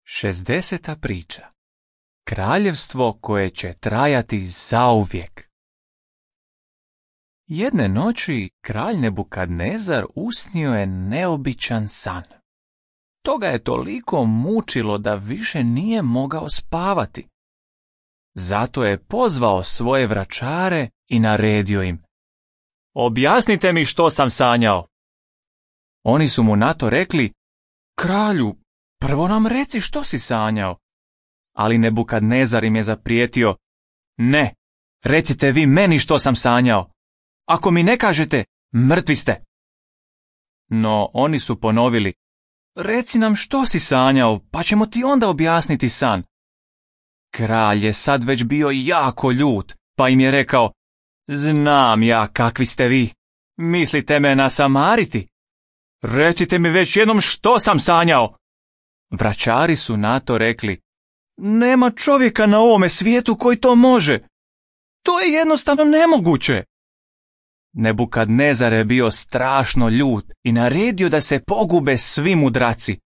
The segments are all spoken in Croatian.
60. priča. Kraljevstvo koje će trajati zauvijek. Jedne noći kralj Nebukadnezar usnio je neobičan san. To ga je toliko mučilo da više nije mogao spavati. Zato je pozvao svoje vračare i naredio im: "Objasnite mi što sam sanjao." Oni su mu na to rekli: "Kralju, prvo nam reci što si sanjao." Ali Nebukadnezar im je zaprijetio: "Ne, recite vi meni što sam sanjao. Ako mi ne kažete, mrtvi ste." No oni su ponovili: "Reci nam što si sanjao, pa ćemo ti onda objasniti san." Kralj je sad već bio jako ljut, pa im je rekao: "Znam ja kakvi ste vi. Mislite me nasamariti? Recite mi već jednom što sam sanjao." Vračari su na to rekli: "Nema čovjeka na ovome svijetu koji to može. To je jednostavno nemoguće." Nebukadnezar je bio strašno ljut i naredio da se pogube svi mudraci.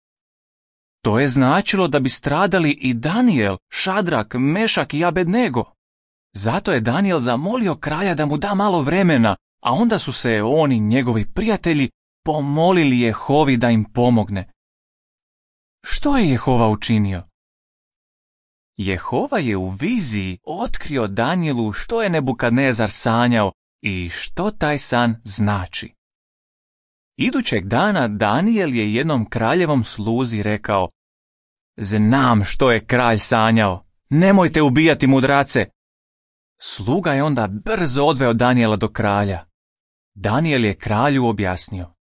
To je značilo da bi stradali i Danijel, Šadrak, Mešak i Abednego. Zato je Danijel zamolio kralja da mu da malo vremena, a onda su se on i njegovi prijatelji pomolili Jehovi da im pomogne. Što je Jehova učinio? Jehova je u viziji otkrio Danijelu što je Nebukadnezar sanjao i što taj san znači. Idućeg dana Danijel je jednom kraljevom sluzi rekao: "Znam što je kralj sanjao, nemojte ubijati mudrace." Sluga je onda brzo odveo Danijela do kralja. Danijel je kralju objasnio: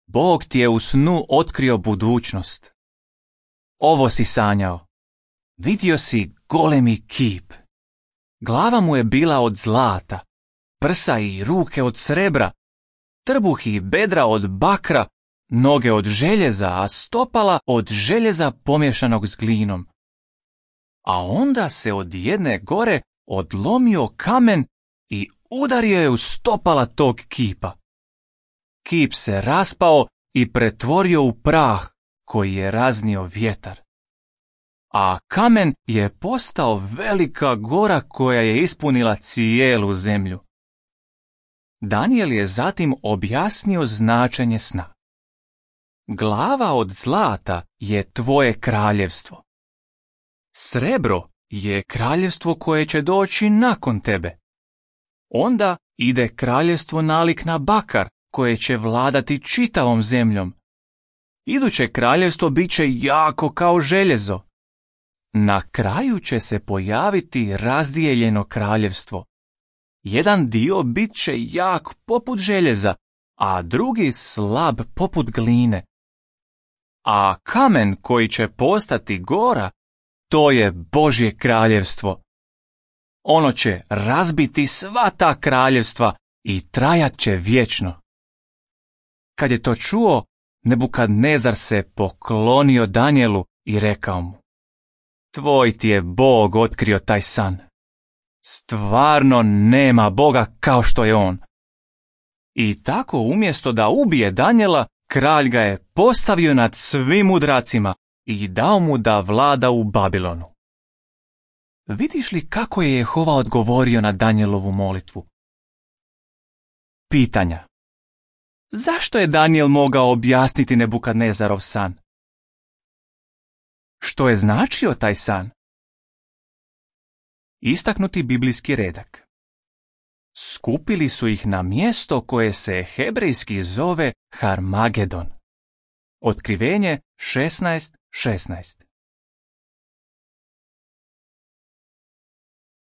"Bog ti je u snu otkrio budućnost. Ovo si sanjao. Vidio si golemi kip. Glava mu je bila od zlata, prsa i ruke od srebra, trbuh i bedra od bakra, noge od željeza, a stopala od željeza pomješanog s glinom. A onda se od jedne gore odlomio kamen i udario je u stopala tog kipa. Kip se raspao i pretvorio u prah koji je raznio vjetar. A kamen je postao velika gora koja je ispunila cijelu zemlju." Danijel je zatim objasnio značenje sna. Glava od zlata je tvoje kraljevstvo. Srebro je kraljevstvo koje će doći nakon tebe. Onda ide kraljevstvo nalik na bakar koje će vladati čitavom zemljom. Iduće kraljevstvo bit će jako kao željezo. Na kraju će se pojaviti razdijeljeno kraljevstvo. Jedan dio bit će jak poput željeza, a drugi slab poput gline. A kamen koji će postati gora, to je Božje kraljevstvo. Ono će razbiti sva ta kraljevstva i trajat će vječno. Kad je to čuo, Nebukadnezar se poklonio Danijelu i rekao mu: "Tvoj ti je Bog otkrio taj san. Stvarno nema Boga kao što je on." I tako umjesto da ubije Danijela, kralj ga je postavio nad svim mudracima i dao mu da vlada u Babilonu. Vidiš li kako je Jehova odgovorio na Danijelovu molitvu? Pitanja. Zašto je Danijel mogao objasniti Nebukadnezarov san? Što je značio taj san? Istaknuti biblijski redak. Skupili su ih na mjesto koje se hebrejski zove Harmagedon. Otkrivenje 16:16.